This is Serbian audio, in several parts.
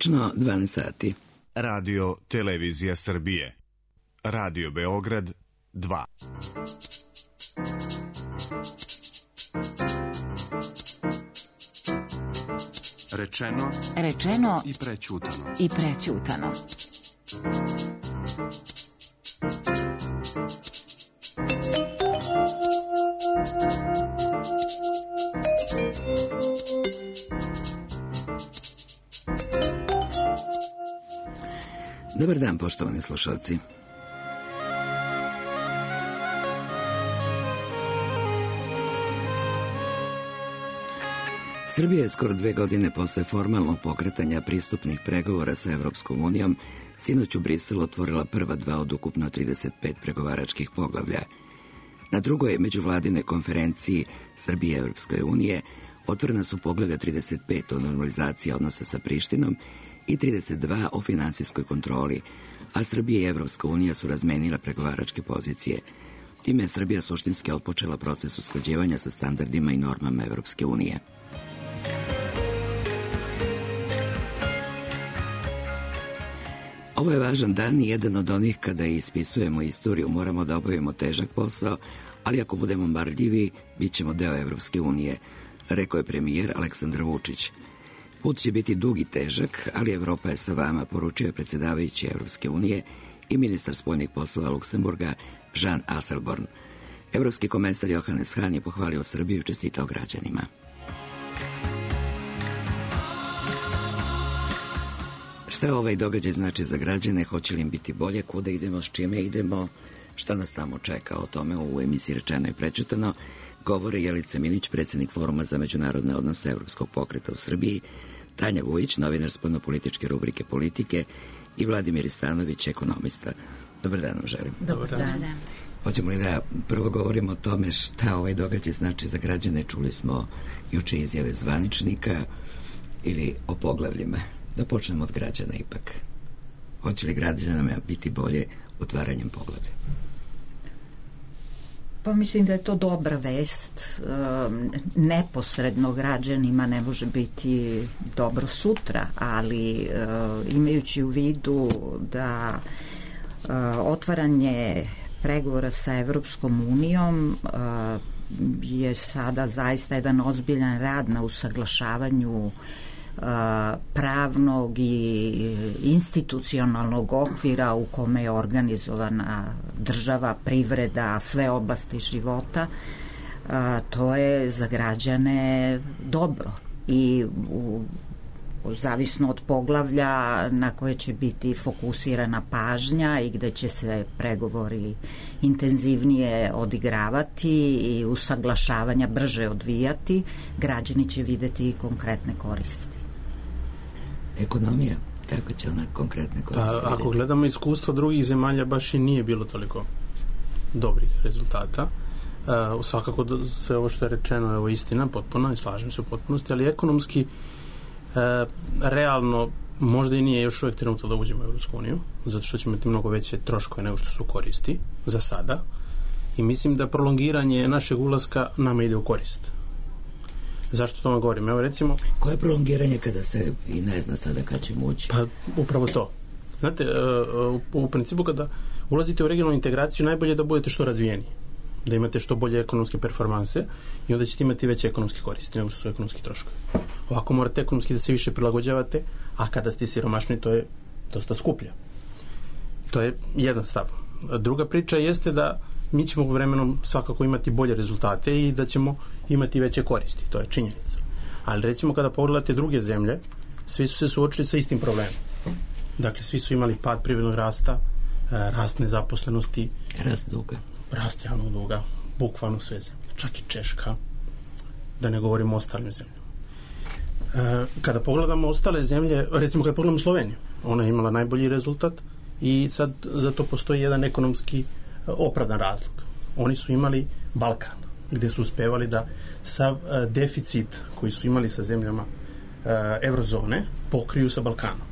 Tačno 12 sati. Radio Televizija Srbije. Radio Beograd 2. Rečeno i prećutano. Dobar dan, poštovani slušalci. Srbija je skoro 2 godine posle formalnog pokretanja pristupnih pregovora sa Evropskom unijom sinoć u Briselu otvorila prva 2 od ukupno 35 pregovaračkih poglavlja. Na drugoj međuvladinoj konferenciji Srbije i Evropske unije otvorena su poglavlja 35 o normalizaciji odnosa sa Prištinom i 32 o finansijskoj kontroli, a Srbija i Evropska unija su razmenila pregovaračke pozicije. Time je Srbija suštinski otpočela proces usklađivanja sa standardima i normama Evropske unije. Ovo je važan dan i jedan od onih kada ispisujemo istoriju, moramo da obavimo težak posao, ali ako budemo marljivi, bit ćemo deo Evropske unije, rekao je premijer Aleksandar Vučić. Put će biti dug i težak, ali Evropa je sa vama, poručio je predsjedavajući Evropske unije i ministar spoljnih poslova Luksemburga Jean Asselborn. Evropski komesar Johannes Hahn je pohvalio Srbiju i čestitao građanima. Šta ovaj događaj znači za građane, hoće li im biti bolje, kuda idemo, s čime idemo, šta nas tamo čeka, o tome u emisiji Rečeno i prećutano govore Jelica Minić, predsjednik Foruma za međunarodne odnose Evropskog pokreta u Srbiji, Tanja Vujić, novinar spoljnopolitičke rubrike Politike i Vladimir Istanović, ekonomista. Dobar dan vam želim. Dobar dan. Hoćemo li da prvo govorimo o tome šta ovaj događaj znači za građane? Čuli smo juče izjave zvaničnika ili o poglavljima. Da počnemo od građana ipak. Hoće li građanama biti bolje otvaranjem poglavlja? Pa mislim da je to dobra vest. Neposredno građanima ne može biti dobro sutra, ali imajući u vidu da otvaranje pregovora sa Evropskom unijom je sada zaista jedan ozbiljan rad na usaglašavanju pravnog i institucionalnog okvira u kome je organizovana država, privreda, sve oblasti života, to je za građane dobro i zavisno od poglavlja na koje će biti fokusirana pažnja i gde će se pregovori intenzivnije odigravati i usaglašavanja brže odvijati, građani će videti i konkretne koristi. Ekonomija, kako će ona konkretne koristi? Pa, ako gledamo iskustva drugih zemalja, baš i nije bilo toliko dobrih rezultata. Svakako sve ovo što je rečeno je ovo istina potpuno i slažem se u potpunosti, ali ekonomski realno možda i nije još uvijek trenutak da uđemo u Evropsku uniju, zato što ćemo imati mnogo veće troškove nego što su koristi za sada i mislim da prolongiranje našeg ulaska nama ide u korist. Zašto to vam govorim? Evo recimo... Koje je prolongiranje kada se i ne zna sada kad ćemo ući? Pa upravo to. Znate, u principu kada ulazite u regionalnu integraciju najbolje je da budete što razvijeniji, da imate što bolje ekonomske performanse i onda ćete imati veće ekonomske koristi nego što su ekonomski troškovi. Ovako morate ekonomski da se više prilagođavate, a kada ste siromašni to je dosta skuplje. To je jedan stav. Druga priča jeste da mi ćemo vremenom svakako imati bolje rezultate i da ćemo imati veće koristi. To je činjenica. Ali recimo kada pogledate druge zemlje, svi su se suočili sa istim problemom. Dakle, svi su imali pad privrednog rasta, rast nezaposlenosti, rast duga, rast javnog duga, bukvalno sve zemlje. Čak i Češka, da ne govorimo o ostalim zemljama. Kada pogledamo ostale zemlje, recimo kada pogledamo Sloveniju, ona je imala najbolji rezultat i sad za to postoji jedan ekonomski opravdan razlog. Oni su imali Balkan, gde su uspevali da sav deficit koji su imali sa zemljama eurozone pokriju sa Balkanom.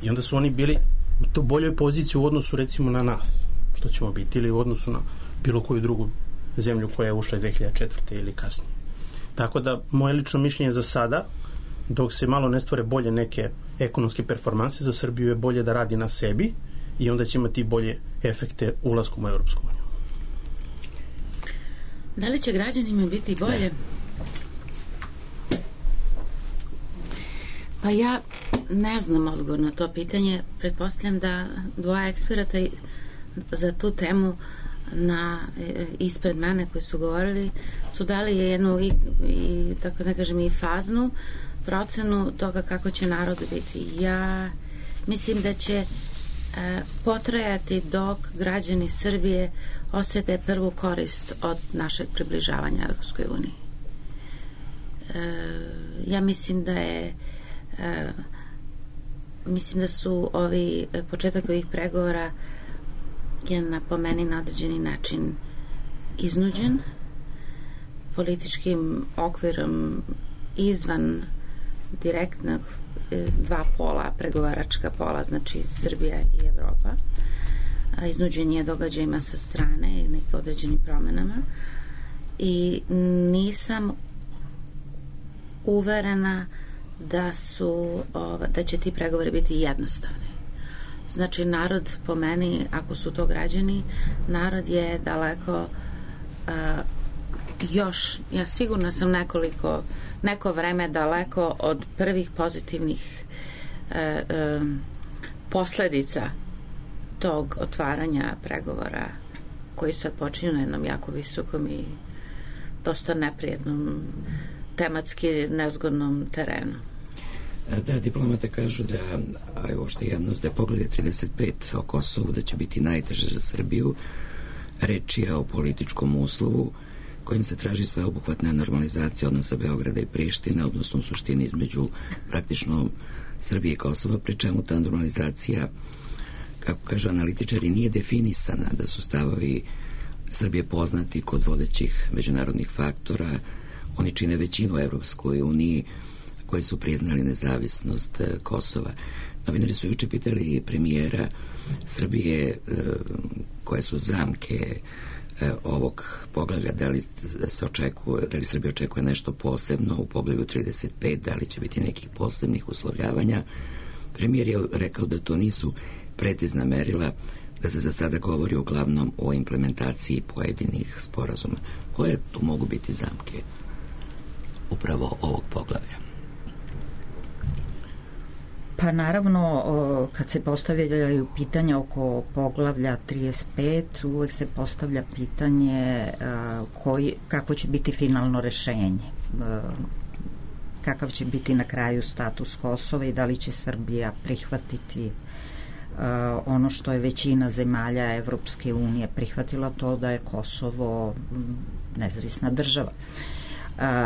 I onda su oni bili u to boljoj poziciji u odnosu recimo na nas, što ćemo biti, ili u odnosu na bilo koju drugu zemlju koja je ušla 2004. ili kasnije. Tako da moje lično mišljenje za sada dok se malo ne stvore bolje neke ekonomske performanse, za Srbiju je bolje da radi na sebi i onda će imati bolje efekte ulaskom u Evropsku uniju. Da li će građanima biti bolje? Pa ja ne znam odgovor na to pitanje. Pretpostavljam da dvoje eksperata za tu temu ispred mene koji su govorili su dali jednu i tako da kažem i faznu procenu toga kako će narod biti. Ja mislim da će potrajati dok građani Srbije osete prvu korist od našeg približavanja Evropskoj uniji. Ja mislim da je mislim da su početak ovih pregovora je po meni na određeni način iznuđen političkim okvirom izvan direktnog dva pola, pregovaračka pola, znači Srbija i Evropa. Iznuđen je događajima sa strane i nekim određenim promenama i nisam uverena da će ti pregovori biti jednostavni. Znači, narod po meni, ako su to građani, narod je daleko još, ja sigurno sam neko vreme daleko od prvih pozitivnih posledica tog otvaranja pregovora koji sad počinju na jednom jako visokom i dosta neprijetnom, tematski nezgodnom terenu. Da, diplomate kažu da, a je uopšte javnost, da je poglavlje 35 o Kosovu da će biti najteže za Srbiju. Reč je o političkom uslovu kojim se traži sveobuhvatna normalizacija odnosa Beograda i Prištine, odnosno u suštini između praktično Srbije i Kosova, pri čemu ta normalizacija, kako kažu analitičari, nije definisana, da su stavovi Srbije poznati kod vodećih međunarodnih faktora. Oni čine većinu u Evropskoj uniji koji su priznali nezavisnost Kosova. Novinari su juče pitali premijera Srbije koje su zamke ovog poglavlja, da li Srbija očekuje nešto posebno u poglavlju 35, da li će biti nekih posebnih uslovljavanja. Premijer je rekao da to nisu precizna merila, da se za sada govori uglavnom o implementaciji pojedinih sporazuma. Koje tu mogu biti zamke upravo ovog poglavlja? Pa naravno, kad se postavljaju pitanja oko poglavlja 35, uvek se postavlja pitanje kako će biti finalno rešenje, kakav će biti na kraju status Kosova i da li će Srbija prihvatiti ono što je većina zemalja Evropske unije prihvatila, to da je Kosovo nezavisna država.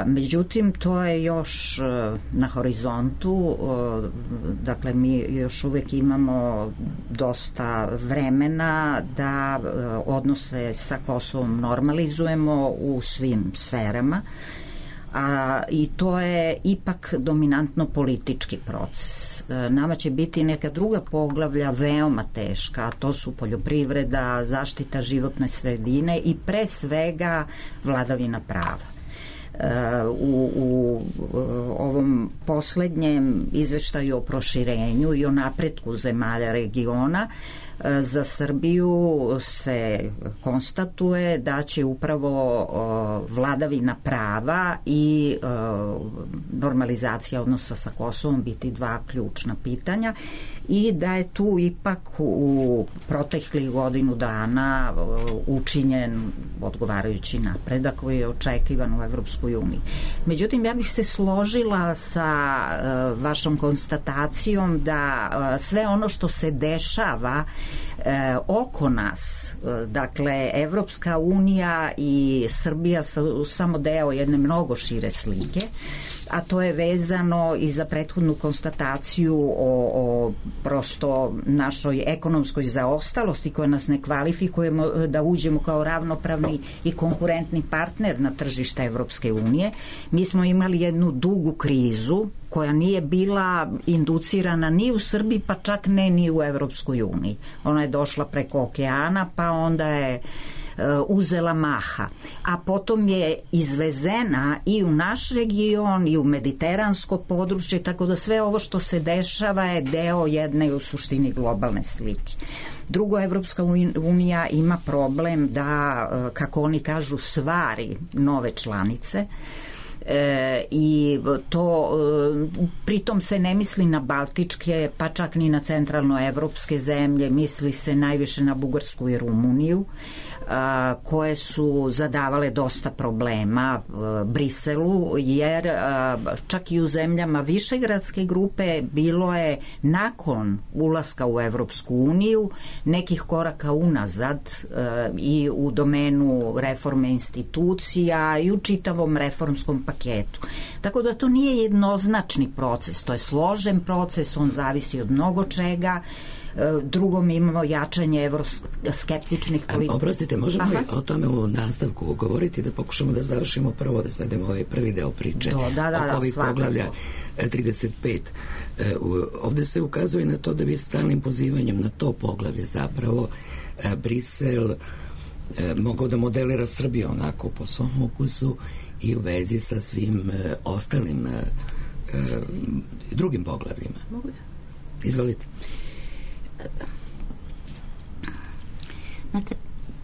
Međutim, to je još na horizontu, dakle mi još uvek imamo dosta vremena da odnose sa Kosovom normalizujemo u svim sferama, i to je ipak dominantno politički proces. Nama će biti neka druga poglavlja veoma teška, a to su poljoprivreda, zaštita životne sredine i pre svega vladavina prava. U ovom poslednjem izveštaju o proširenju i o napretku zemalja regiona za Srbiju se konstatuje da će upravo vladavina prava i normalizacija odnosa sa Kosovom biti dva ključna pitanja i da je tu ipak u proteklih godinu dana učinjen odgovarajući napredak koji je očekivan u Evropskoj uniji. Međutim, ja bih se složila sa vašom konstatacijom da sve ono što se dešava oko nas, dakle Evropska unija i Srbija su samo deo jedne mnogo šire slike, a to je vezano i za prethodnu konstataciju o prosto našoj ekonomskoj zaostalosti koja nas ne kvalifikujemo da uđemo kao ravnopravni i konkurentni partner na tržište Evropske unije. Mi smo imali jednu dugu krizu koja nije bila inducirana ni u Srbiji, pa čak ne ni u Evropskoj uniji. Ona je došla preko okeana, pa onda je uzela maha, a potom je izvezena i u naš region i u mediteransko područje, tako da sve ovo što se dešava je deo jedne u suštini globalne slike. Drugo, Evropska unija ima problem da, kako oni kažu, stvari nove članice, i to pritom se ne misli na baltičke, pa čak ni na centralnoevropske zemlje, misli se najviše na Bugarsku i Rumuniju, koje su zadavale dosta problema Briselu, jer čak i u zemljama Višegradske grupe bilo je nakon ulaska u Evropsku uniju nekih koraka unazad i u domenu reforme institucija i u čitavom reformskom paketu. Tako da to nije jednoznačni proces, to je složen proces, on zavisi od mnogo čega. Drugo, mi imamo jačanje evroskeptičnih politika. Oprostite, možemo li o tome u nastavku govoriti, da pokušamo da završimo prvo, da svedemo ovaj prvi deo priče oko ovih poglavlja 35. Ovde se ukazuje na to da bi stalnim pozivanjem na to poglavlje zapravo Brisel mogao da modelira Srbiju onako po svom ukusu i u vezi sa svim ostalim drugim poglavljima. Izvolite. Znate,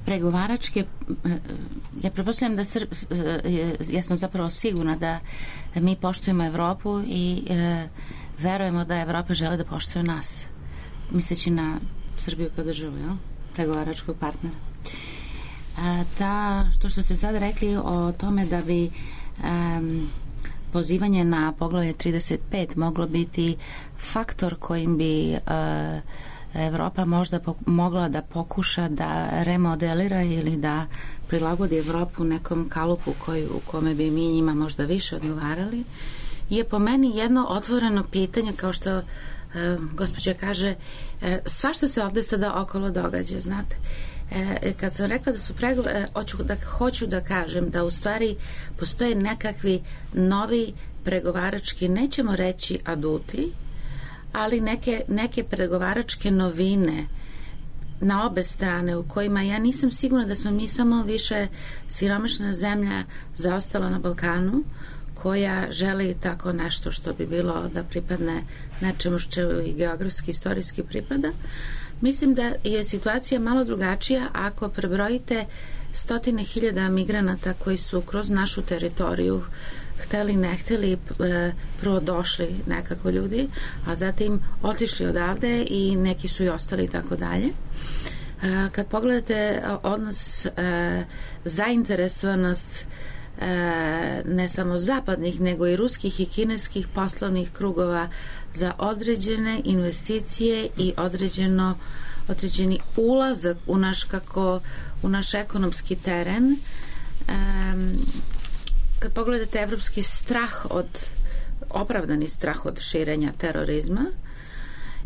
pregovaračke, ja pretpostavljam da ja sam zapravo sigurna da mi poštujemo Evropu i verujemo da Evropa žele da poštuje nas, misleći na Srbiju kao državu, pregovaračkog partnera. To što ste sad rekli o tome da bi pozivanje na poglavlje 35 moglo biti faktor kojim bi Evropa možda mogla da pokuša da remodelira ili da prilagodi Evropu nekom kalupu u kome bi mi njima možda više odgovarali, je po meni jedno otvoreno pitanje, kao što gospođa kaže, svašta se ovde sada okolo događa, znate. Kad sam rekla da su hoću da kažem da u stvari postoje nekakvi novi pregovarački, nećemo reći aduti, ali neke pregovaračke novine na obe strane, u kojima ja nisam sigurna da smo mi samo više siromašna zemlja zaostala na Balkanu, koja želi tako nešto što bi bilo da pripadne nečemu što i geografski, istorijski pripada. Mislim da je situacija malo drugačija ako prebrojite stotine hiljada migranata koji su kroz našu teritoriju hteli, ne hteli, prvo došli nekako ljudi, a zatim otišli odavde i neki su i ostali i tako dalje. Kad pogledate odnos zainteresovanost ne samo zapadnih, nego i ruskih i kineskih poslovnih krugova za određene investicije i određeni ulazak u naš ekonomski teren. Kad pogledate evropski strah opravdani strah od širenja terorizma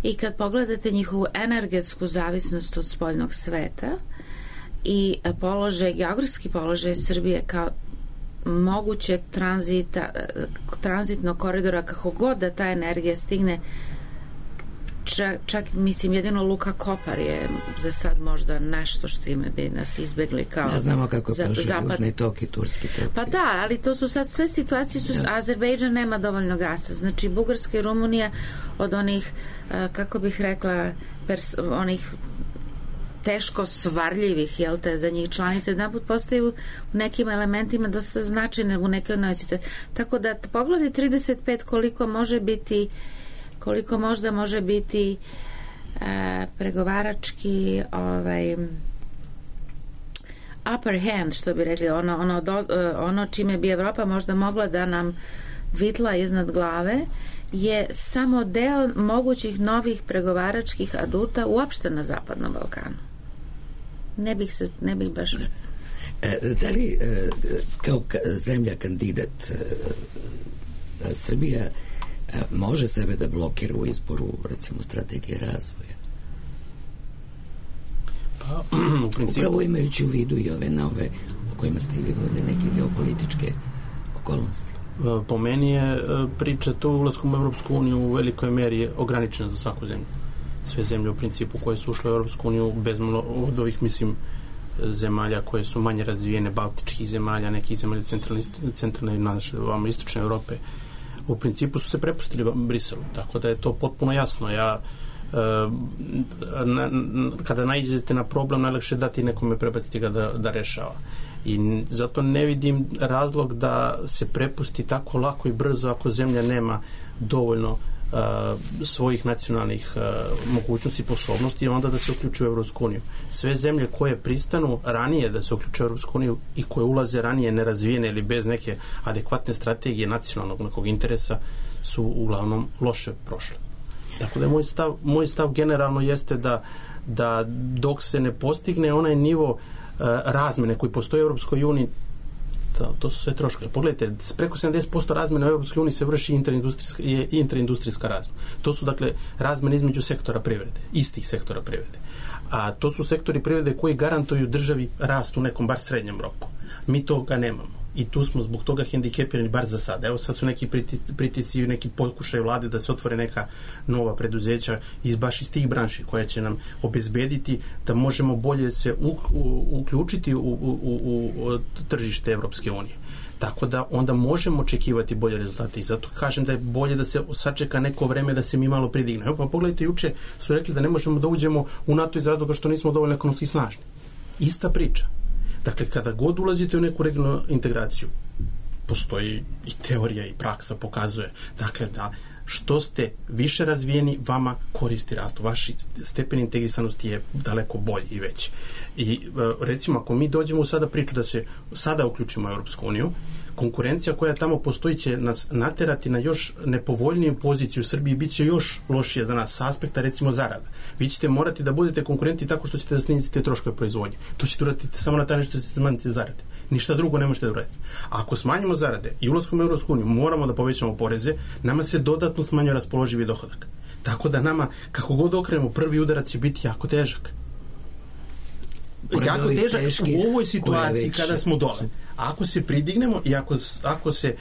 i kad pogledate njihovu energetsku zavisnost od spoljnog sveta i geografski položaj Srbije kao mogućeg tranzitnog koridora, kako god da ta energija stigne, čak mislim jedino Luka Kopar je za sad možda nešto što ime bi nas izbegli kao znamo kako prošli Južni tok i Turski tok. Pa da, ali to su sad sve situacije, Azerbejdžan nema dovoljno gasa, znači Bugarska i Rumunija od onih, kako bih rekla, onih teško svarljivih, jel te, za njih članice, jedanput postaju u nekim elementima dosta značajne u nekoj nosite. Tako da poglavlje 35 koliko možda može biti pregovarački upper hand, što bi rekli, ono čime bi Evropa možda mogla da nam vitla iznad glave, je samo deo mogućih novih pregovaračkih aduta uopšte na Zapadnom Balkanu. Ne bih baš... Da li kao zemlja kandidat Srbija može sebe da blokira u izboru, recimo, strategije razvoja? Pa, u principu... Upravo imajući u vidu i ove nove o kojima ste i vi govorili, neke geopolitičke okolnosti. Po meni je priča to ulaskom u Evropsku uniju u velikoj meri je ograničena za svaku zemlju. Sve zemlje u principu koje su ušle u Evropsku uniju od ovih, mislim, zemalja koje su manje razvijene, baltičkih zemalja, nekih zemalja centralne i istočne Europe, u principu su se prepustili Briselu, tako da je to potpuno jasno. Kada naiđete na problem, najlakše dati nekome, prebaciti ga da rešava. I zato ne vidim razlog da se prepusti tako lako i brzo ako zemlja nema dovoljno svojih nacionalnih mogućnosti i sposobnosti, onda da se uključi u Evropsku uniju. Sve zemlje koje pristanu ranije da se uključe u Evropsku uniju i koje ulaze ranije nerazvijene ili bez neke adekvatne strategije nacionalnog nekog interesa su uglavnom loše prošle. Tako da moj stav generalno jeste da dok se ne postigne onaj nivo razmene koji postoji u Evropskoj uniji, to su sve troškovi. Pogledajte, preko 70% razmene u Evropskoj uniji se vrši interindustrijska razmena. To su dakle razmene između sektora privrede, istih sektora privrede. A to su sektori privrede koji garantuju državi rast u nekom bar srednjem roku. Mi toga nemamo. I tu smo zbog toga hendikepirani bar za sad. Evo sad su neki pritisci i neki pokušaj vlade da se otvore neka nova preduzeća baš iz tih branši koja će nam obezbediti da možemo bolje se uključiti u tržište Evropske unije. Tako da onda možemo očekivati bolje rezultate i zato kažem da je bolje da se sačeka neko vreme da se mi malo pridigne. Evo pa pogledajte, juče su rekli da ne možemo da uđemo u NATO iz razloga što nismo dovoljno ekonomski snažni. Ista priča. Dakle, kada god ulazite u neku regionalnu integraciju, postoji i teorija i praksa pokazuje, dakle, da što ste više razvijeni, vama koristi rastu. Vaš stepen integrisanosti je daleko bolji i veći. I recimo, ako mi dođemo u sada priču da se sada uključimo u Evropsku uniju, konkurencija koja tamo postoji će nas naterati na još nepovoljniju poziciju u Srbiji, bit će još lošije za nas s aspekta, recimo, zarada. Vi ćete morati da budete konkurenti tako što ćete da snizite troškove proizvodnje. To ćete uraditi samo na taj način što ćete smanjiti zarade. Ništa drugo ne možete da uraditi. Ako smanjimo zarade i ulaskom u Evropsku uniju moramo da povećamo poreze, nama se dodatno smanjuje raspoloživi dohodak. Tako da nama, kako god okrenemo, prvi udarac će biti jako težak. Jako težak u ovoj situaciji kada smo dole. Ako se pridignemo i ako se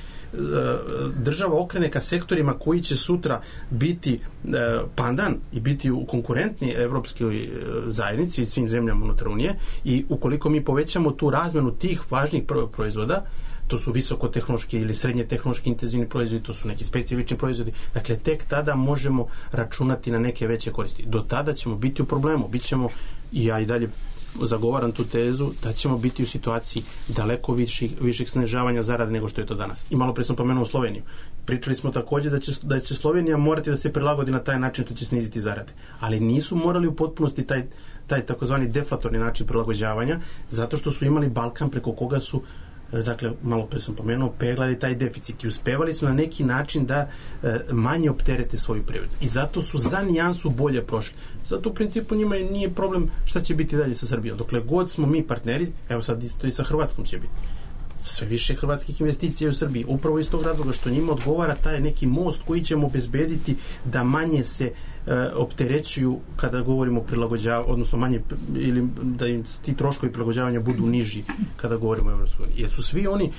država okrene ka sektorima koji će sutra biti pandan i biti konkurentni evropskoj zajednici i svim zemljama unutar Unije, i ukoliko mi povećamo tu razmenu tih važnih proizvoda, to su visokotehnološki ili srednje tehnološki intenzivni proizvodi, to su neki specifični proizvodi, dakle tek tada možemo računati na neke veće koristi. Do tada ćemo biti u problemu, bićemo, i ja i dalje zagovaram tu tezu, da ćemo biti u situaciji daleko viših snižavanja zarade nego što je to danas. I malo pre sam pomenuo Sloveniju. Pričali smo takođe da će Slovenija morati da se prilagodi na taj način što će sniziti zarade. Ali nisu morali u potpunosti taj takozvani deflatorni način prilagođavanja, zato što su imali Balkan preko koga su, dakle, malo pre sam pomenuo, peglali taj deficit i uspevali su na neki način da manje opterete svoju privredu. I zato su za nijansu bolje prošli. Zato u principu njima nije problem šta će biti dalje sa Srbijom. Dokle god smo mi partneri, evo sad isto i sa Hrvatskom će biti. Sve više hrvatskih investicija u Srbiji. Upravo iz tog razloga što njima odgovara taj neki most koji ćemo obezbediti da manje se opterećuju kada govorimo o prilagođavanju, odnosno manje, ili da im ti troškovi prilagođavanja budu niži kada govorimo o Evropskoj uniji. Jer su svi oni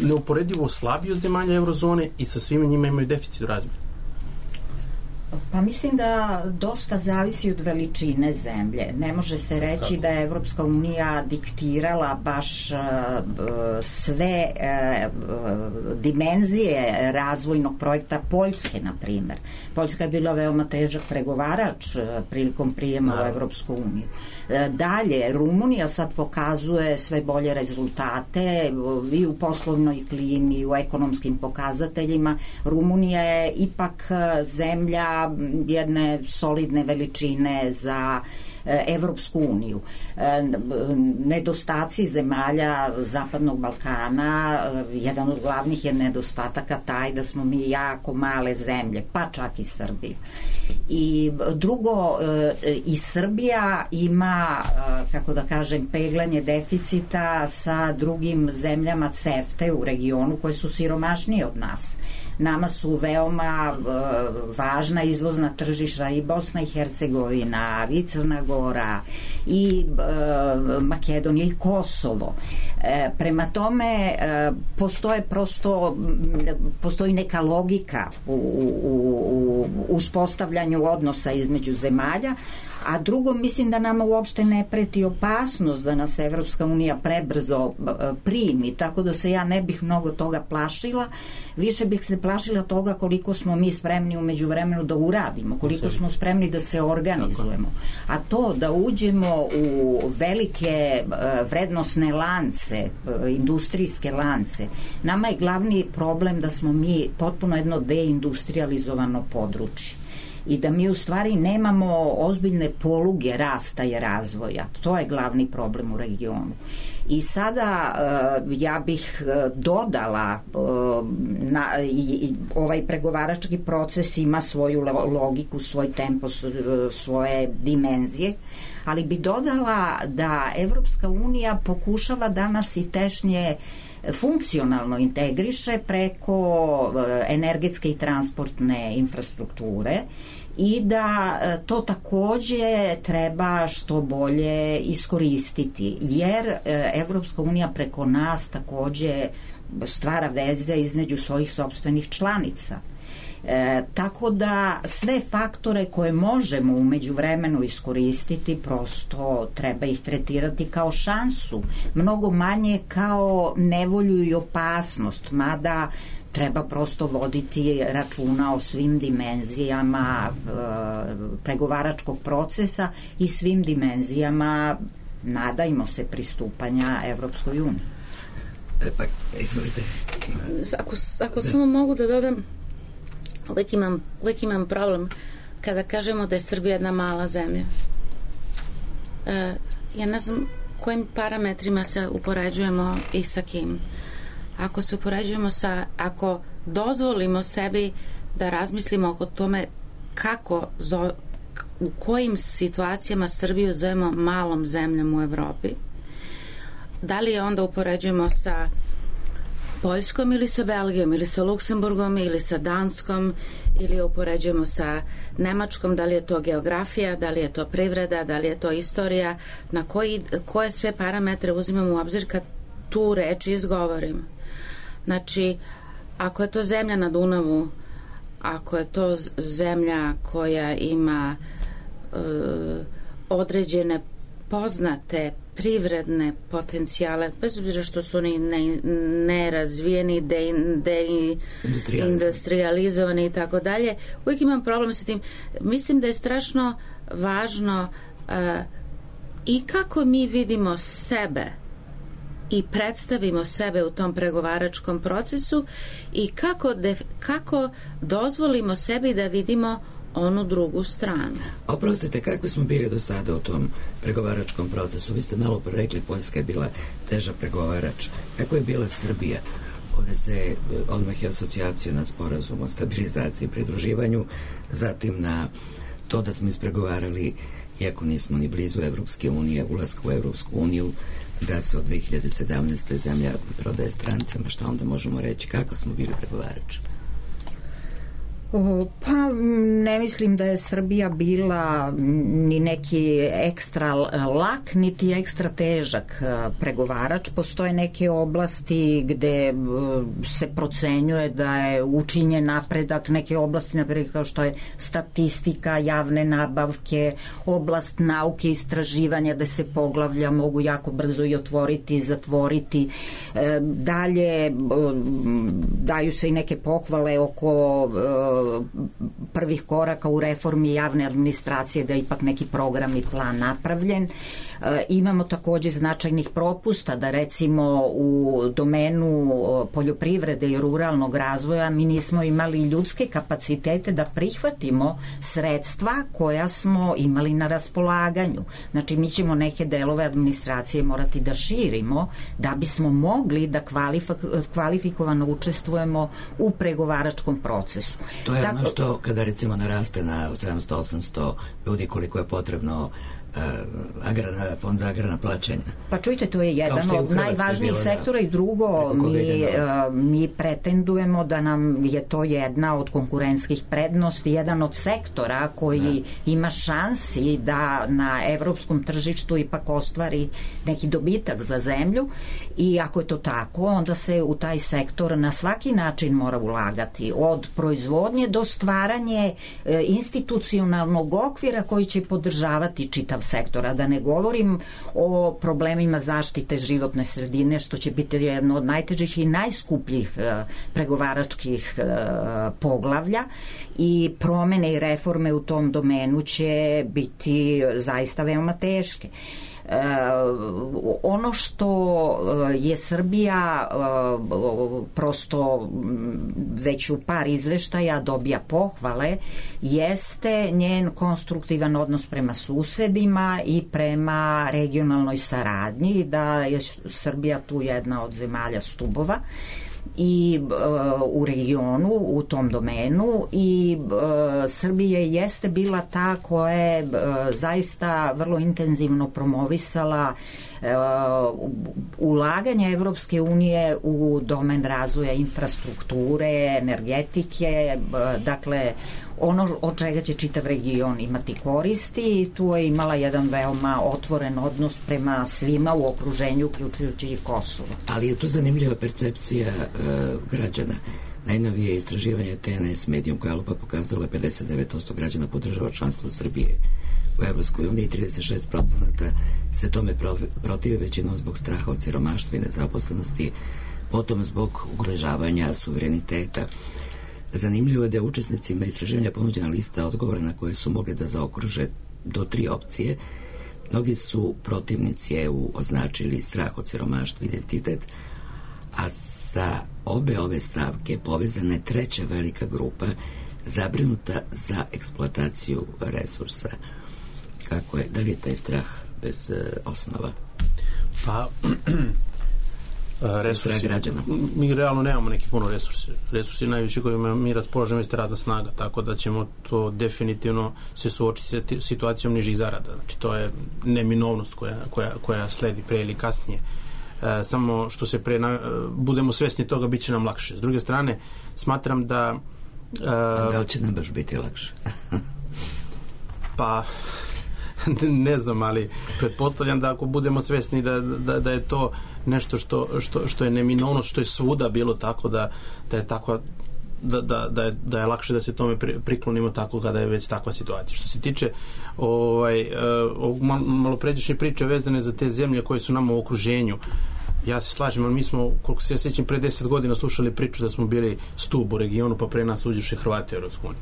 neuporedivo slabiji od zemalja Eurozone i sa svima njima imaju deficit u razmjeri. Pa mislim da dosta zavisi od veličine zemlje. Ne može se reći da je Evropska unija diktirala baš sve dimenzije razvojnog projekta Poljske, na primjer. Poljska je bila veoma težak pregovarač prilikom prijema u Evropsku uniju. Dalje, Rumunija sad pokazuje sve bolje rezultate i u poslovnoj klimi, i u ekonomskim pokazateljima. Rumunija je ipak zemlja jedne solidne veličine za Evropsku uniju. Nedostaci zemalja Zapadnog Balkana, jedan od glavnih je nedostataka taj da smo mi jako male zemlje, pa čak i Srbija. I drugo, i Srbija ima, kako da kažem, peglanje deficita sa drugim zemljama CEFTA u regionu koje su siromašnije od nas. Nama su veoma važna izvozna tržišta i Bosna i Hercegovina, i Crna Gora, i Makedonija, i Kosovo. Prema tome, postoji neka logika u uspostavljanju odnosa između zemalja, A drugo, mislim da nama uopšte ne preti opasnost da nas Evropska unija prebrzo primi, tako da se ja ne bih mnogo toga plašila. Više bih se plašila toga koliko smo mi spremni u međuvremenu da uradimo, koliko smo spremni da se organizujemo. A to da uđemo u velike vrednosne lance, industrijske lance, nama je glavni problem da smo mi potpuno jedno deindustrializovano područje i da mi u stvari nemamo ozbiljne poluge rasta i razvoja. To je glavni problem u regionu. I sada ja bih dodala ovaj pregovarački proces ima svoju logiku, svoj tempo, svoje dimenzije, ali bi dodala da Evropska unija pokušava danas i tešnje funkcionalno integriše preko energetske i transportne infrastrukture i da to takođe treba što bolje iskoristiti, jer Evropska unija preko nas takođe stvara veze između svojih sopstvenih članica. Tako da sve faktore koje možemo u međuvremenu iskoristiti prosto treba ih tretirati kao šansu, mnogo manje kao nevolju i opasnost, mada treba prosto voditi računa o svim dimenzijama pregovaračkog procesa i svim dimenzijama, nadajmo se, pristupanja Evropskoj uniji. Pa, izvolite. Ako samo mogu da dodam, uvijek imam problem kada kažemo da je Srbija jedna mala zemlja. Ja ne znam kojim parametrima se upoređujemo i sa kim. Ako se upoređujemo ako dozvolimo sebi da razmislimo o tome u kojim situacijama Srbiju zovemo malom zemljom u Evropi, da li je onda upoređujemo sa Poljskom ili sa Belgijom ili sa Luksemburgom ili sa Danskom ili upoređujemo sa Nemačkom, da li je to geografija, da li je to privreda, da li je to istorija, na koje sve parametre uzimamo u obzir kad tu reč izgovorim. Znači, ako je to zemlja na Dunavu, ako je to zemlja koja ima određene poznate privredne potencijale, bez obzira što su oni nerazvijeni, deindustrializovani i tako dalje, uvijek imam problem sa tim. Mislim da je strašno važno i kako mi vidimo sebe i predstavimo sebe u tom pregovaračkom procesu i kako dozvolimo sebi da vidimo onu drugu stranu. Oprostite, kako smo bili do sada u tom pregovaračkom procesu? Vi ste malo rekli, Poljska je bila teža pregovarač. Kako je bila Srbija? Ovde se odmah je asocijacija na sporazum o stabilizaciji i pridruživanju, zatim na to da smo ispregovarali, iako nismo ni blizu Evropske unije, ulazka u Evropsku uniju, da se od 2017. zemlja prodaje strancima. Šta onda možemo reći? Kako smo bili pregovarači? Pa ne mislim da je Srbija bila ni neki ekstra lak, niti ekstra težak pregovarač. Postoje neke oblasti gde se procenjuje da je učinjen napredak, neke oblasti napred kao što je statistika, javne nabavke, oblast nauke i istraživanja, da se poglavlja mogu jako brzo i otvoriti i zatvoriti. Dalje daju se i neke pohvale oko prvih koraka u reformi javne administracije, da je ipak neki program i plan napravljen. Imamo takođe značajnih propusta, da recimo u domenu poljoprivrede i ruralnog razvoja mi nismo imali ljudske kapacitete da prihvatimo sredstva koja smo imali na raspolaganju. Znači mi ćemo neke delove administracije morati da širimo da bismo mogli da kvalifikovano učestvujemo u pregovaračkom procesu. To je ono što kada recimo naraste na 700-800 ljudi koliko je potrebno fond za agrarna plaćanja. Pa čujte, to je jedan od najvažnijih sektora i drugo, mi pretendujemo da nam je to jedna od konkurentskih prednosti, jedan od sektora koji ima šansi da na evropskom tržištu ipak ostvari neki dobitak za zemlju i ako je to tako, onda se u taj sektor na svaki način mora ulagati, od proizvodnje do stvaranje institucionalnog okvira koji će podržavati čitav sektor, a da ne govorim o problemima zaštite životne sredine, što će biti jedno od najtežih i najskupljih pregovaračkih poglavlja i promene i reforme u tom domenu će biti zaista veoma teške. Ono što je Srbija prosto već u par izveštaja dobija pohvale jeste njen konstruktivan odnos prema susedima i prema regionalnoj saradnji, da je Srbija tu jedna od zemalja stubova i u regionu, u tom domenu i Srbija jeste bila ta koja je zaista vrlo intenzivno promovisala ulaganje Evropske unije u domen razvoja infrastrukture, energetike, dakle ono od čega će čitav region imati koristi i tu je imala jedan veoma otvoren odnos prema svima u okruženju, uključujući i Kosovo. Ali je tu zanimljiva percepcija građana. Najnovije istraživanje TNS Medium Gallupa pokazalo je 59% građana podržava članstvo Srbije u Evropskoj uniji, 36% se tome protivi, većinom zbog straha od siromaštva i nezaposlenosti, potom zbog ugrožavanja suvereniteta. Zanimljivo je da je učesnicima istraživanja ponuđena lista odgovora na koje su mogli da zaokruže do 3 opcije. Mnogi su protivnici EU označili strah od siromaštva i identitet, a sa obe ove stavke povezana je treća velika grupa zabrinuta za eksploataciju resursa. Kako je? Da li je taj strah bez osnova? Pa resursi, mi realno nemamo neki puno resursi najveći kojima mi raspolažemo jeste radna snaga, tako da ćemo to definitivno se suočiti sa situacijom nižih zarada, znači to je neminovnost koja sledi pre ili kasnije. Samo što se budemo svesni toga, bit će nam lakše. S druge strane, smatram da da li će nam baš biti lakše? Pa ne znam, ali pretpostavljam da ako budemo svesni da je to nešto što je neminovno, što je svuda bilo tako, da je tako, da je lakše da se tome priklonimo tako kada je već takva situacija. Što se tiče malopređašnje priče vezane za te zemlje koje su nama u okruženju, ja se slažem, ali mi smo, koliko se ja sjećam, pre 10 godina slušali priču da smo bili stub u regionu, pa pre nas uđeše Hrvati u Europsku uniju.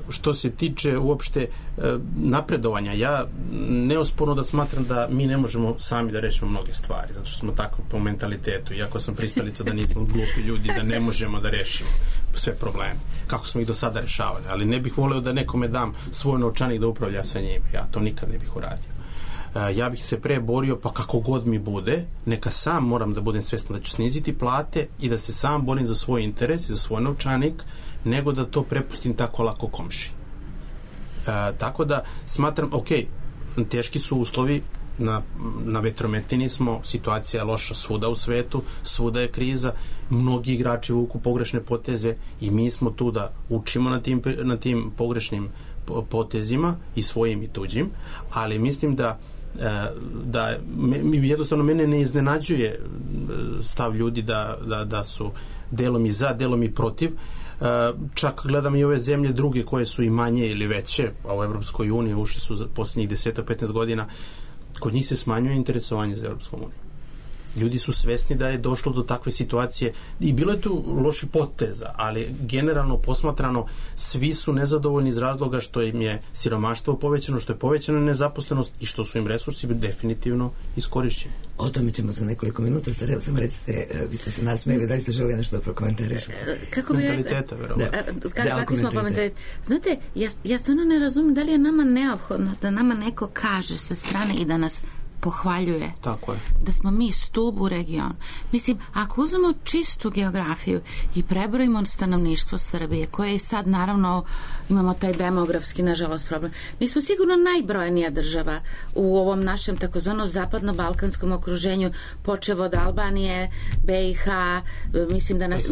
Što se tiče uopšte napredovanja, ja neosporno da smatram da mi ne možemo sami da rešimo mnoge stvari, zato što smo tako po mentalitetu, iako sam pristalica da nismo glupi ljudi, da ne možemo da rešimo sve probleme, kako smo ih do sada rešavali, ali ne bih voleo da nekome dam svoj novčanik da upravlja sa njim, ja to nikad ne bih uradio. Ja bih se pre borio, pa kako god mi bude, neka sam moram da budem svestan da ću sniziti plate i da se sam borim za svoj interes i za svoj novčanik, nego da to prepustim tako lako komši. Tako da smatram, teški su uslovi, na vetrometini smo, situacija je loša svuda u svetu, svuda je kriza, mnogi igrači vuku pogrešne poteze i mi smo tu da učimo na tim pogrešnim potezima i svojim i tuđim, ali mislim da jednostavno mene ne iznenađuje stav ljudi da su delom i za, delom i protiv. Čak gledam i ove zemlje druge koje su i manje ili veće, a u Evropskoj uniji ušli su za posljednjih 10-15 godina, kod njih se smanjuje interesovanje za Evropskom uniju. Ljudi su svesni da je došlo do takve situacije i bilo je tu loši poteza, ali generalno posmatrano svi su nezadovoljni iz razloga što im je siromaštvo povećano, što je povećana nezaposlenost i što su im resursi definitivno iskorišćeni. O tome ćemo za nekoliko minuta. Samo recite, vi ste se nasmijeli, da li ste želi nešto da prokomentarišete? Mentaliteta, verovatno. Kakvi smo po mentaliteta? Znate, ja stvarno ne razumijem da li je nama neophodno da nama neko kaže sa strane i da nas pohvaljuje. Tako je. Da smo mi stub u regionu. Mislim, ako uzmemo čistu geografiju i prebrojimo stanovništvo Srbije, koje i sad naravno imamo taj demografski, nažalost, problem. Mi smo sigurno najbrojnija država u ovom našem takozvano zapadno-balkanskom okruženju, počev od Albanije, BiH, mislim da nas...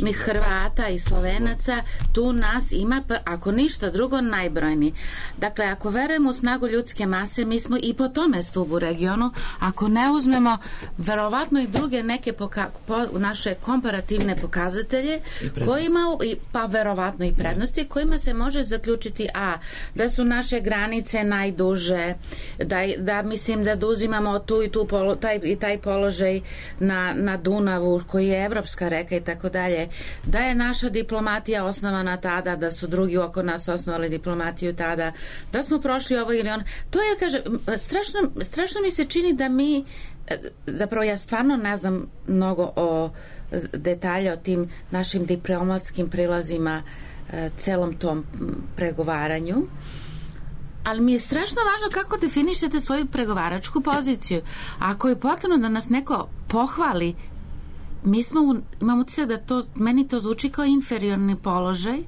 Mi Hrvata i Slovenaca, tu nas ima, ako ništa drugo, najbrojniji. Dakle, ako verujemo u snagu ljudske mase, mi smo i po tome stubu u regionu. Ako ne uzmemo verovatno i druge neke naše komparativne pokazatelje kojima, pa verovatno i prednosti, kojima se može zaključiti da su naše granice najduže, da mislim da uzimamo tu i tu taj položaj na Dunavu koji je evropska reka i tako dalje, da je naša diplomatija osnovana tada, da su drugi oko nas osnovali diplomatiju tada, da smo prošli ovo ili ono. To je, kažem, strašno mi se čini da mi, zapravo ja stvarno ne znam mnogo o detalja o tim našim diplomatskim prilazima, celom tom pregovaranju, ali mi je strašno važno kako definišete svoju pregovaračku poziciju. Ako je potrebno da nas neko pohvali, imamo utisak da meni to zvuči kao inferiorni položaj,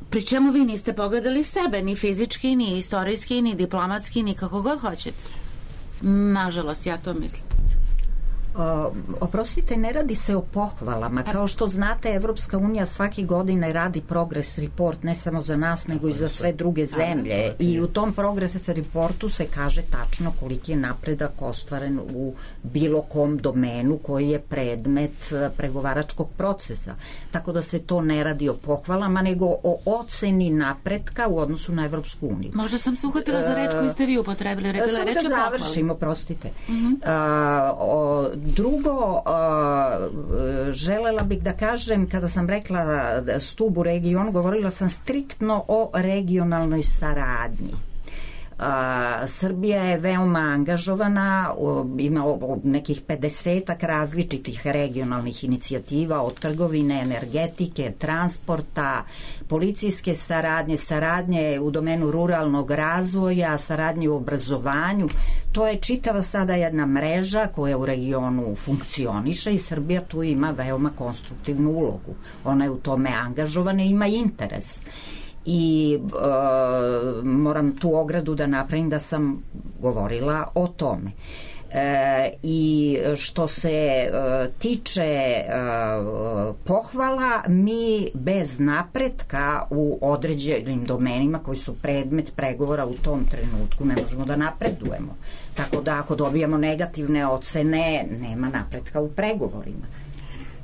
pri čemu vi niste pogledali sebe, ni fizički, ni istorijski, ni diplomatski, ni kako god hoćete. Nažalost, ja to mislim. Oprostite, ne radi se o pohvalama. Kao što znate, Evropska unija svake godine radi progress report, ne samo za nas, nego i za sve druge zemlje. I u tom progress reportu se kaže tačno koliki je napredak ostvaren u bilo kom domenu koji je predmet pregovaračkog procesa. Tako da se to ne radi o pohvalama, nego o oceni napretka u odnosu na Evropsku uniju. Možda sam se uhvatila za reč koju ste vi upotrebili. Samo da završim, oprostite. Drugo, želela bih da kažem, kada sam rekla stub u regionu, govorila sam striktno o regionalnoj saradnji. Srbija je veoma angažovana, ima nekih 50 različitih regionalnih inicijativa od trgovine, energetike, transporta, policijske saradnje u domenu ruralnog razvoja, saradnje u obrazovanju. To je čitava sada jedna mreža koja u regionu funkcioniše i Srbija tu ima veoma konstruktivnu ulogu. Ona je u tome angažovana i ima interes. I moram tu ogradu da napravim da sam govorila o tome. I što se tiče pohvala, mi bez napretka u određenim domenima koji su predmet pregovora u tom trenutku ne možemo da napredujemo. Tako da ako dobijamo negativne ocene, nema napretka u pregovorima.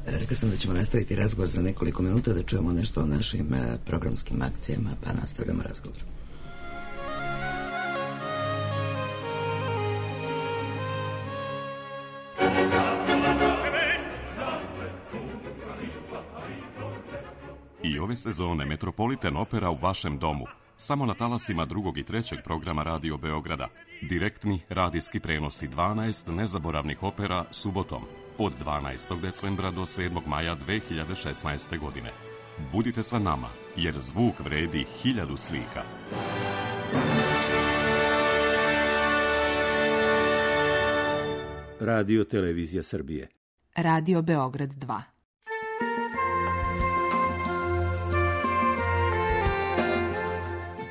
Rekla sam da ćemo nastaviti razgovor za nekoliko minuta, da čujemo nešto o našim programskim akcijama, pa nastavljamo razgovor. I ove sezone Metropolitan Opera u vašem domu. Samo na talasima 2. i 3. programa Radio Beograda. Direktni radijski prenosi 12 nezaboravnih opera subotom. Od 12. decembra do 7. maja 2016. godine. Budite sa nama, jer zvuk vredi 1000 slika. Radio Televizija Srbije. Radio Beograd 2.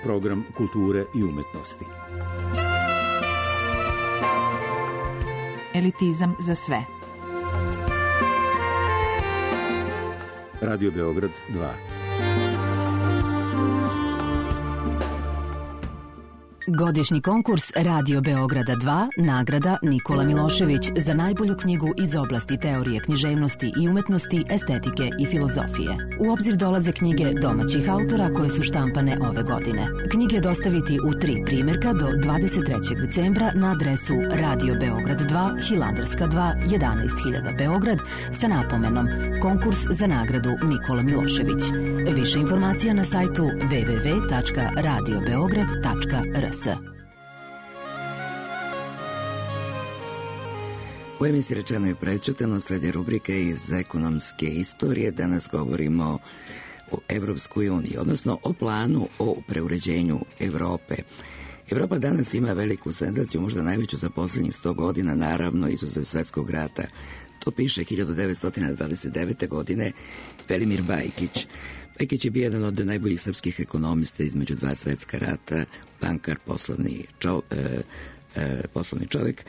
Program kulture i umetnosti. Elitizam za sve. Radio Beograd 2. Godišnji konkurs Radio Beograda 2, nagrada Nikola Milošević za najbolju knjigu iz oblasti teorije književnosti i umetnosti, estetike i filozofije. U obzir dolaze knjige domaćih autora koje su štampane ove godine. Knjige dostaviti u 3 primjerka do 23. decembra na adresu Radio Beograd 2, Hilandarska 2, 11.000 Beograd sa napomenom Konkurs za nagradu Nikola Milošević. Više informacija na sajtu www.radiobeograd.rs. U emisiji Rečeno i prećutano slijede rubrike iz ekonomske istorije. Danas govorimo o Evropskoj uniji, odnosno o planu o preuređenju Evrope. Evropa danas ima veliku senzaciju, možda najveću za poslednjih 100 godina, naravno izuzev svetskog rata. To piše 1929. godine Velimir Bajkić. Bajkić je bio jedan od najboljih srpskih ekonomista između dva svetska rata, bankar, poslovni čovek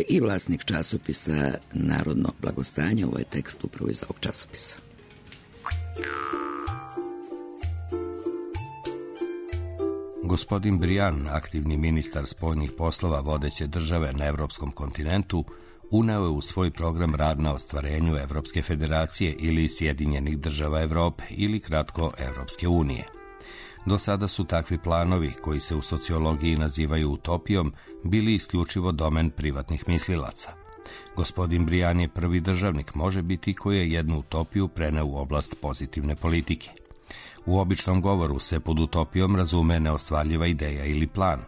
i vlasnik časopisa Narodno blagostanje. Ovo je tekst upravo iz ovog časopisa. Gospodin Brian, aktivni ministar spoljnih poslova vodeće države na evropskom kontinentu, uneo je u svoj program rad na ostvarenju Evropske federacije ili Sjedinjenih država Evrope ili kratko Evropske unije. Do sada su takvi planovi, koji se u sociologiji nazivaju utopijom, bili isključivo domen privatnih mislilaca. Gospodin Brian je prvi državnik, može biti, koji je jednu utopiju preneo u oblast pozitivne politike. U običnom govoru se pod utopijom razume neostvarljiva ideja ili plan.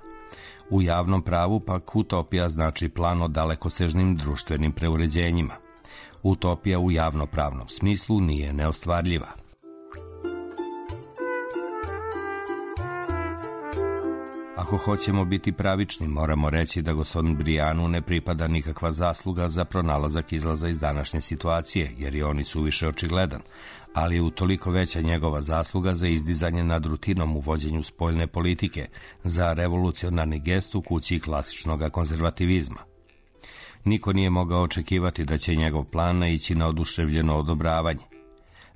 U javnom pravu pak utopija znači plan o dalekosežnim društvenim preuređenjima. Utopija u javnopravnom smislu nije neostvarljiva. Ako hoćemo biti pravični, moramo reći da gospodinu Brianu ne pripada nikakva zasluga za pronalazak izlaza iz današnje situacije, jer je on i suviše očigledan, ali je utoliko veća njegova zasluga za izdizanje nad rutinom u vođenju spoljne politike, za revolucionarni gest u kući klasičnog konzervativizma. Niko nije mogao očekivati da će njegov plan naići na oduševljeno odobravanje.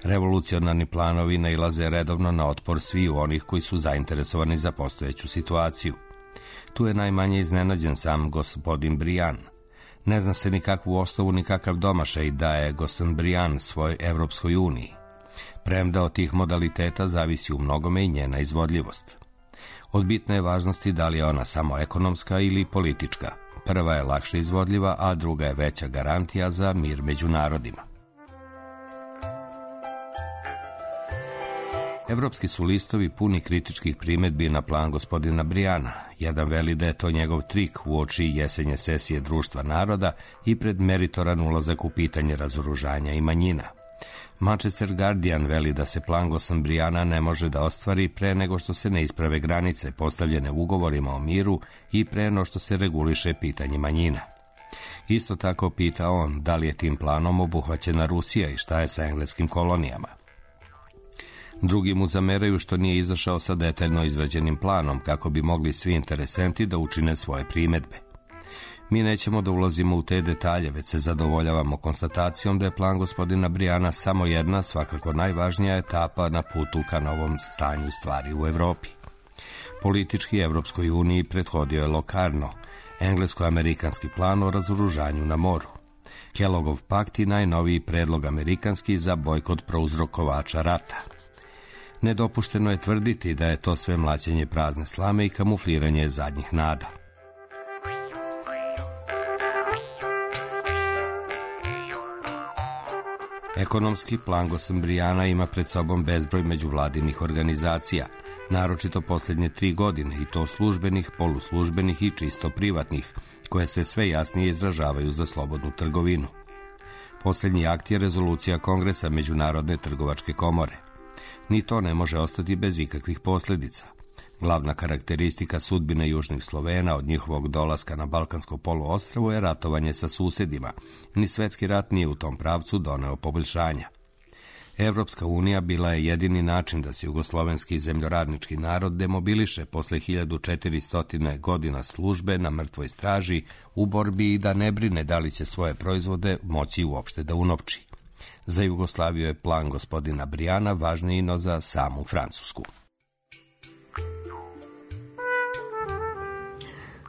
Revolucionarni planovi nailaze redovno na otpor sviju onih koji su zainteresovani za postojeću situaciju. Tu je najmanje iznenađen sam gospodin Brian. Ne zna se nikakvu osnovu, nikakav domašaj daje gospodin Brian svoj Evropskoj uniji. Premda od tih modaliteta zavisi u mnogome i njena izvodljivost. Od bitne je važnosti da li je ona samo ekonomska ili politička. Prva je lakše izvodljiva, a druga je veća garantija za mir među narodima. Evropski su listovi puni kritičkih primedbi na plan gospodina Briana. Jedan veli da je to njegov trik uoči jesenje sesije Društva naroda i pred meritoran ulazak u pitanje razoružanja i manjina. Manchester Guardian veli da se plan gospodina Briana ne može da ostvari pre nego što se ne isprave granice postavljene ugovorima o miru i pre nego što se reguliše pitanje manjina. Isto tako pita on da li je tim planom obuhvaćena Rusija i šta je sa engleskim kolonijama. Drugi mu zameraju što nije izašao sa detaljno izrađenim planom kako bi mogli svi interesenti da učine svoje primedbe. Mi nećemo da ulazimo u te detalje, već se zadovoljavamo konstatacijom da je plan gospodina Briana samo jedna, svakako najvažnija etapa na putu ka novom stanju stvari u Evropi. Politički Evropskoj uniji prethodio je Locarno, englesko-amerikanski plan o razoružanju na moru. Kelloggov pakt i najnoviji predlog amerikanski za bojkot prouzrokovača rata. Nedopušteno je tvrditi da je to sve mlaćenje prazne slame i kamufliranje zadnjih nada. Ekonomski plan gospodina Briana ima pred sobom bezbroj međuvladinih organizacija, naročito posljednje 3 godine, i to službenih, poluslužbenih i čisto privatnih, koje se sve jasnije izražavaju za slobodnu trgovinu. Posljednji akt je rezolucija Kongresa Međunarodne trgovačke komore. Ni to ne može ostati bez ikakvih posljedica. Glavna karakteristika sudbine južnih Slovena od njihovog dolaska na Balkansko poluostrvo je ratovanje sa susedima. Ni svetski rat nije u tom pravcu doneo poboljšanja. Evropska unija bila je jedini način da se jugoslovenski zemljoradnički narod demobiliše posle 1400 godina službe na mrtvoj straži u borbi i da ne brine da li će svoje proizvode moći uopšte da unovči. Za Jugoslaviju je plan gospodina Briana važniji no za samu Francusku.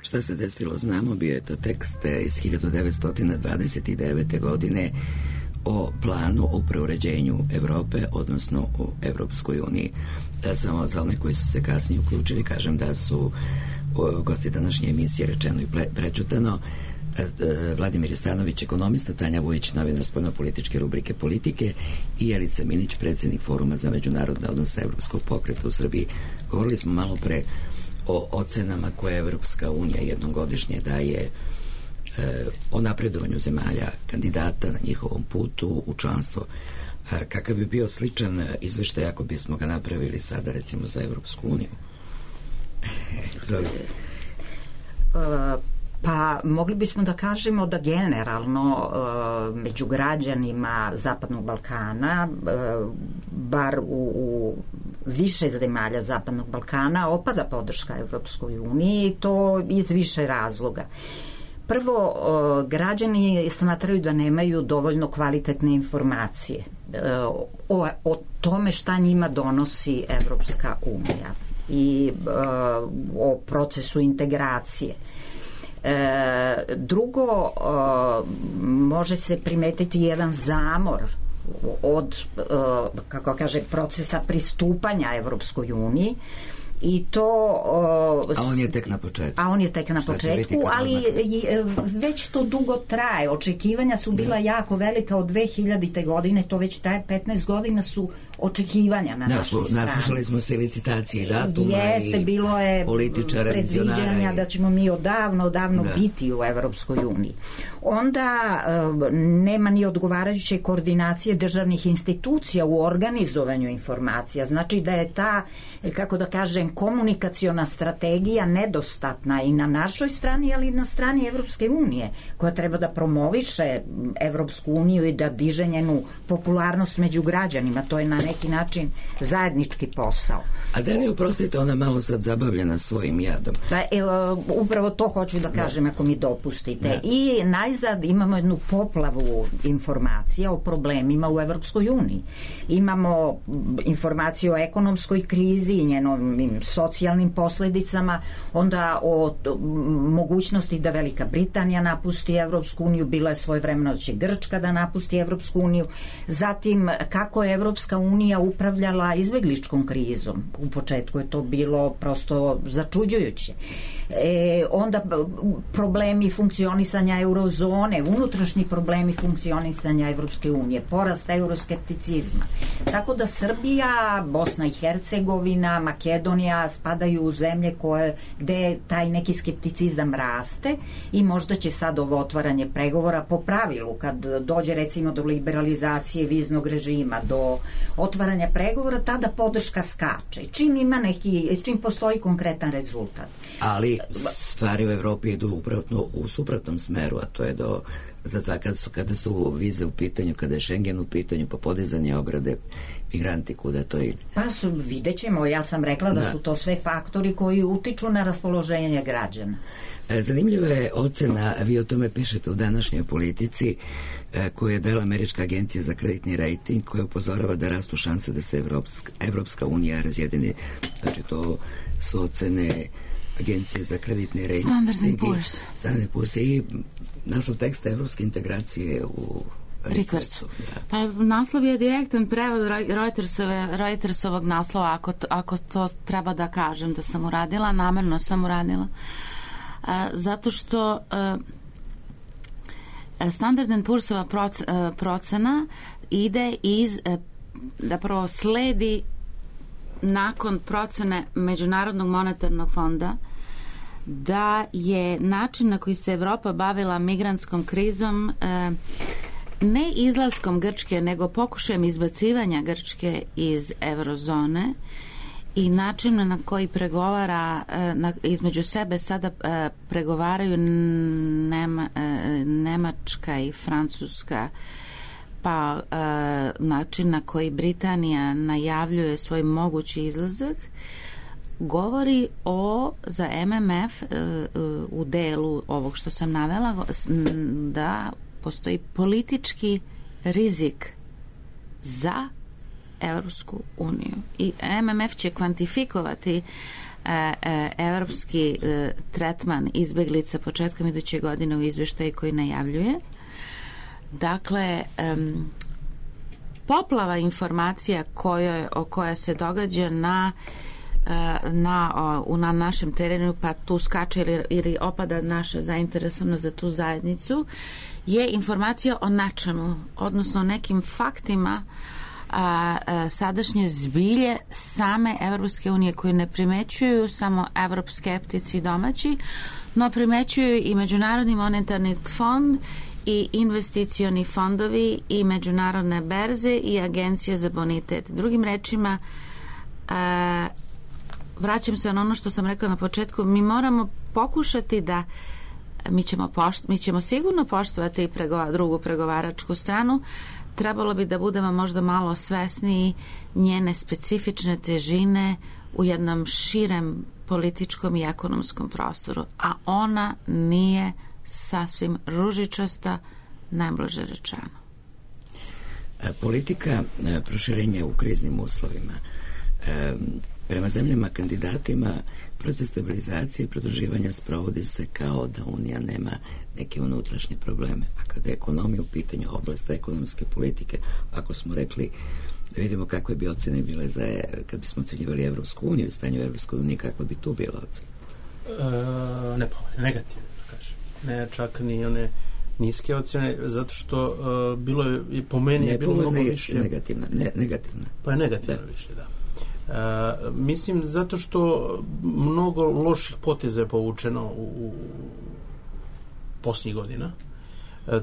Šta se desilo znamo, bio je to tekst iz 1929. godine o planu o preuređenju Evrope, odnosno o Evropskoj uniji. Samo za one koji su se kasnije uključili kažem da su gosti današnje emisije Rečeno i prečutano Vladimir Stanović, ekonomista, Tanja Vujić, novinar spoljnopolitičke rubrike Politike i Jelica Minić, predsjednik Foruma za međunarodne odnose Evropskog pokreta u Srbiji. Govorili smo malo pre o ocenama koje Evropska unija jednom godišnje daje o napredovanju zemalja kandidata na njihovom putu u članstvo. Kakav bi bio sličan izveštaj ako bismo ga napravili sada recimo za Evropsku uniju? Pa mogli bismo da kažemo da generalno među građanima Zapadnog Balkana, bar u više zemalja Zapadnog Balkana, opada podrška Evropskoj uniji i to iz više razloga. Prvo, građani smatraju da nemaju dovoljno kvalitetne informacije o tome šta njima donosi Evropska unija i o procesu integracije. Drugo, može se primetiti jedan zamor od, kako kaže, procesa pristupanja Evropskoj uniji i to... A on je tek na početku. Ali već to dugo traje. Očekivanja su bila jako velika od 2000. godine, to već traje 15 godina su očekivanja na našoj strani. Naslušali smo se licitacije i datuma i bilo je političara, predviđanja da ćemo mi odavno biti u Evropskoj uniji. Onda nema ni odgovarajuće koordinacije državnih institucija u organizovanju informacija. Znači da je ta, kako da kažem, komunikaciona strategija nedostatna i na našoj strani, ali i na strani Evropske unije, koja treba da promoviše Evropsku uniju i da diže njenu popularnost među građanima. To je na neki način zajednički posao. A da li, oprostite, ona malo sad zabavljena svojim jadom? Upravo to hoću da kažem, ako mi dopustite. I najzad imamo jednu poplavu informacija o problemima u Evropskoj uniji. Imamo informacije o ekonomskoj krizi i njenom socijalnim posledicama, onda o mogućnosti da Velika Britanija napusti Evropsku uniju, bila je svojevremeno će Grčka da napusti Evropsku uniju, zatim kako je Evropska unija upravljala izbegličkom krizom. U početku je to bilo prosto začuđujuće. Onda problemi funkcionisanja eurozone, unutrašnji problemi funkcionisanja Evropske unije, porast euroskepticizma. Tako da Srbija, Bosna i Hercegovina, Makedonija spadaju u zemlje gde taj neki skepticizam raste i možda će sad ovo otvaranje pregovora po pravilu, kad dođe recimo do liberalizacije viznog režima, do otvaranja pregovora, tada podrška skače. Čim postoji konkretan rezultat. Ali stvari u Evropi idu upravo u suprotnom smeru, a to je kada su vize u pitanju, kada je Schengen u pitanju, pa podizanje ograde, migranti, kuda to ide? Pa vidjet ćemo, ja sam rekla da su to sve faktori koji utiču na raspoloženje građana. Zanimljiva je ocena, vi o tome pišete u današnjoj Politici, koju je dala Američka agencija za kreditni rating, koja upozorava da rastu šanse da se Evropska unija razjedini. Znači, to su ocene Agencije za kreditni rating. Standard & Poor's. I naslov teksta evropske integracije u Rikvercu. Pa naslov je direktan prevod Reutersovog naslova, ako to treba da kažem da sam uradila, namerno sam uradila. Zato što Standard & Poor'sova procena ide zapravo sledi nakon procene Međunarodnog monetarnog fonda da je način na koji se Evropa bavila migrantskom krizom ne izlaskom Grčke, nego pokušajem izbacivanja Grčke iz eurozone i način na koji pregovara između sebe sada pregovaraju Nemačka i Francuska, pa način na koji Britanija najavljuje svoj mogući izlazak, govori za MMF u delu ovog što sam navela da postoji politički rizik za Evropsku uniju i MMF će kvantifikovati evropski tretman izbeglica početkom iduće godine u izveštaju koji najavljuje. Dakle, poplava informacija koja se događa na našem terenu, pa tu skače ili opada naša zainteresovanost za tu zajednicu, je informacija o nečemu, odnosno nekim faktima sadašnje zbilje same Evropske unije koje ne primećuju samo evroskeptici domaći, no primećuju i Međunarodni monetarni fond i investicioni fondovi i međunarodne berze i agencije za bonitet. Drugim rečima, vraćam se na ono što sam rekla na početku, mi moramo pokušati da mi ćemo sigurno poštovati drugu pregovaračku stranu. Trebalo bi da budemo možda malo svesniji njene specifične težine u jednom širem političkom i ekonomskom prostoru, a ona nije sasvim ružičasta, najblaže rečeno. Politika proširenja u kriznim uslovima. Prema zemljama kandidatima proces stabilizacije i produživanja sprovodi se kao da Unija nema neke unutrašnje probleme. A kada je ekonomija u pitanju, oblast ekonomske politike, ako smo rekli da vidimo kakve bi ocene bile kad bismo ocenjivali Evropsku uniju i stanje u Evropskoj uniji, kakva bi tu bila ocena? Negativno, da kažem. Ne čak ni one niske ocene, zato što bilo je, po meni je bilo mnogo više. Negativna. Pa je negativno više, da. Mislim zato što mnogo loših poteza je povučeno u posljednjih godina.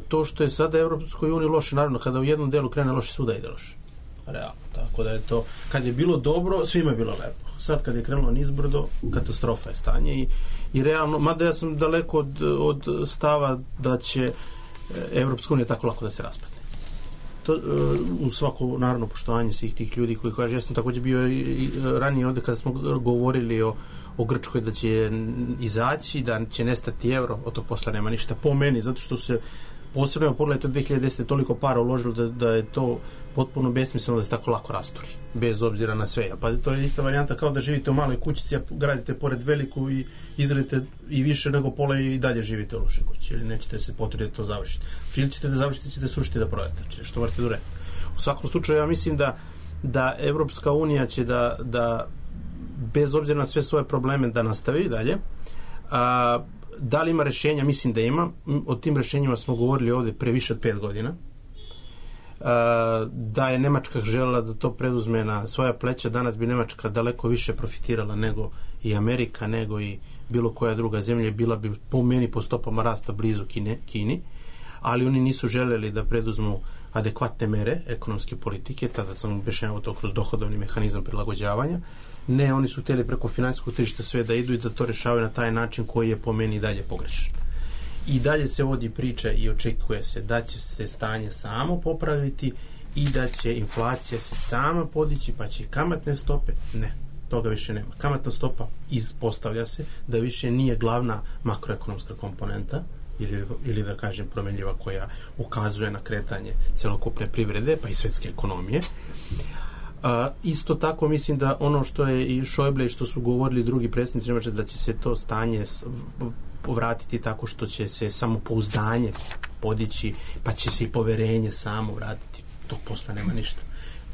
To što je sada Evropskoj uniji loše, naravno kada u jednom delu krene loše, svuda ide loše. Realno, tako da je to, kad je bilo dobro, svima je bilo lepo. Sad kad je krenulo nizbrdo, katastrofa je stanje i realno, mada ja sam daleko od stava da će Evropska unija tako lako da se raspadne. To, u svako naravno poštovanje svih tih ljudi koji kaže, ja sam također bio i ranije ovdje kada smo govorili o Grčkoj da će izaći, da će nestati euro, od tog posla nema ništa po meni, zato što se posebno pogledajte od 2010. toliko para uložilo da je to potpuno besmisleno da se tako lako rasturi, bez obzira na sve. Pa to je ista varijanta kao da živite u maloj kućici, a gradite pored veliku i izradite i više nego pola i dalje živite u lošoj kući, ili nećete se potruditi da to završiti. Ili ćete da završite, ćete srušiti da prodate, što morate da uradite. U svakom slučaju, ja mislim da Evropska unija će da bez obzira na sve svoje probleme da nastavi dalje. Da li ima rešenja? Mislim da ima. O tim rešenjima smo govorili ovdje pre više od 5 godina. Da je Nemačka želela da to preduzme na svoja pleća, danas bi Nemačka daleko više profitirala nego i Amerika, nego i bilo koja druga zemlja, bila bi po meni po stopama rasta blizu Kini, ali oni nisu želeli da preduzmu adekvatne mere ekonomske politike, tada sam objašnjavao to kroz dohodovni mehanizam prilagođavanja. Ne, oni su htjeli preko financijskog tržišta sve da idu i da to rešavaju na taj način koji je po meni dalje pogrešan. I dalje se vodi priča i očekuje se da će se stanje samo popraviti i da će inflacija se sama podići, pa će kamatne stope, ne, toga više nema. Kamatna stopa ispostavlja se da više nije glavna makroekonomska komponenta ili da kažem promenljiva koja ukazuje na kretanje celokupne privrede pa i svetske ekonomije. Isto tako mislim da ono što je i Schäuble i što su govorili drugi predstavnici Nemačke, da će se to stanje povratiti tako što će se samopouzdanje podići, pa će se i poverenje samo vratiti. Tog posla nema ništa.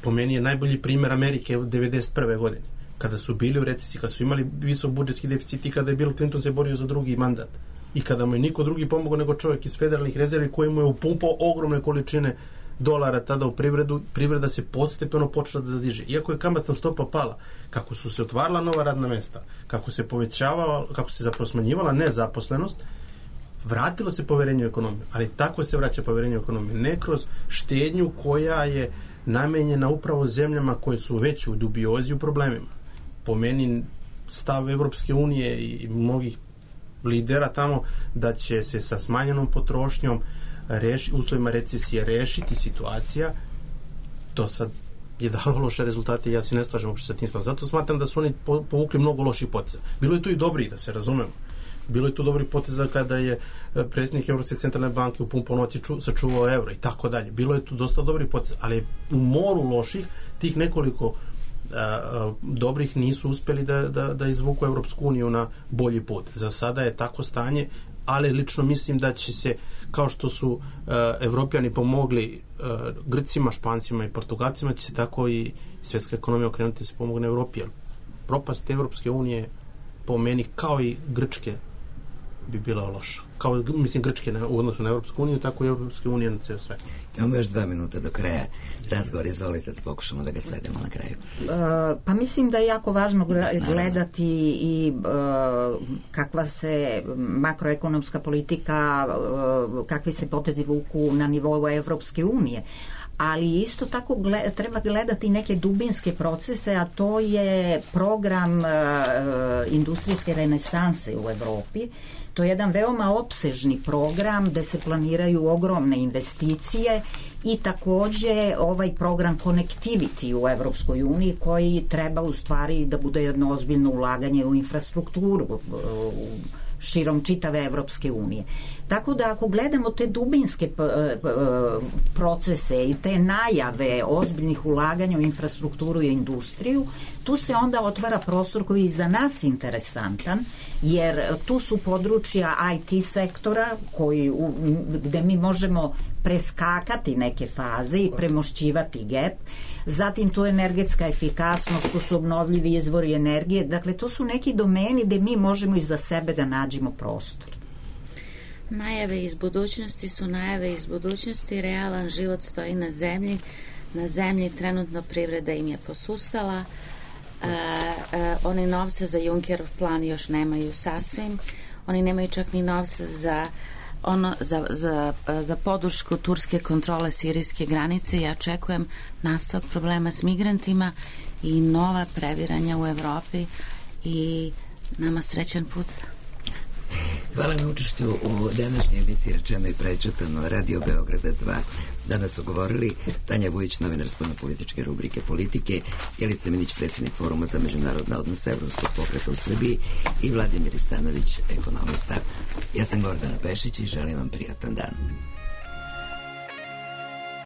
Po meni je najbolji primjer Amerike u 1991. godine, kada su bili u recesiji, kada su imali visok budžetski deficit i kada je Bill Clinton se borio za drugi mandat i kada mu je niko drugi pomogao nego čovjek iz federalnih rezervi koji mu je upumpao ogromne količine dolara tada u privredu, privreda se postepeno počela da diže. Iako je kamatna stopa pala, kako su se otvarala nova radna mesta, kako se povećavala, kako se zapravo smanjivala nezaposlenost, vratilo se poverenje u ekonomiju. Ali tako se vraća poverenje u ekonomiju. Ne kroz štednju koja je namenjena upravo zemljama koje su već u dubiozi u problemima. Po meni stav Evropske unije i mnogih lidera tamo da će se sa smanjenom potrošnjom uslovima recesije rešiti situacija, to sad je dalo loše rezultate i ja se ne slažem uopšte sa tim stavom. Zato smatram da su oni povukli mnogo loših poteza. Bilo je tu i dobri, da se razumemo. Bilo je tu dobri poteza kada je predsjednik Evropske centralne banke upumpao noći sačuvao euro i tako dalje. Bilo je tu dosta dobrih poteza, ali u moru loših tih nekoliko dobrih nisu uspeli da izvuku Evropsku uniju na bolji put. Za sada je tako stanje, ali lično mislim da će se, kao što su Evropljani pomogli Grcima, Špancima i Portugalcima, će se tako i svjetska ekonomija okrenuti da se pomogne Evropi. Propast Evropske unije po meni kao i Grčke bi bila loša. Kao, mislim, Grčke u odnosu na Evropsku uniju, tako i Evropske unije na ceo svet. Imamo još 2 minute do kraja. Razgovor, izvolite da pokušamo da ga svedemo na kraju. Pa mislim da je jako važno gledati i kakva se makroekonomska politika, kakvi se potezi vuku na nivou Evropske unije. ali isto tako treba gledati neke dubinske procese, a to je program industrijske renesanse u Evropi. To je jedan veoma opsežni program gde se planiraju ogromne investicije i takođe ovaj program Connectivity u Evropskoj uniji koji treba u stvari da bude jedno ozbiljno ulaganje u infrastrukturu širom čitave Evropske unije. Tako da ako gledamo te dubinske procese i te najave ozbiljnih ulaganja u infrastrukturu i industriju, tu se onda otvara prostor koji je za nas interesantan, jer tu su područja IT sektora gde mi možemo preskakati neke faze i premošćivati gap. Zatim tu je energetska efikasnost, tu su obnovljivi izvori energije. Dakle, to su neki domeni gde mi možemo iza sebe da nađemo prostor. Najave iz budućnosti su najave iz budućnosti. Realan život stoji na zemlji. Na zemlji trenutno privreda im je posustala. Oni novce za Junckerov plan još nemaju sasvim. Oni nemaju čak ni novce za podršku turske kontrole sirijske granice. Ja očekujem nastavak problema s migrantima i nova previranja u Evropi i nama srećan put. Hvala na učešću u današnjoj emisiji Rečeno i prečutano Radio Beograda 2. Danas su govorili Tanja Vujić, novinar spoljnopolitičke rubrike Politike, Jelica Minić, predsjednik Foruma za međunarodne odnose Evropskog pokreta u Srbiji i Vladimir Stanović, ekonomista. Ja sam Gordana Pešić i želim vam prijatan dan.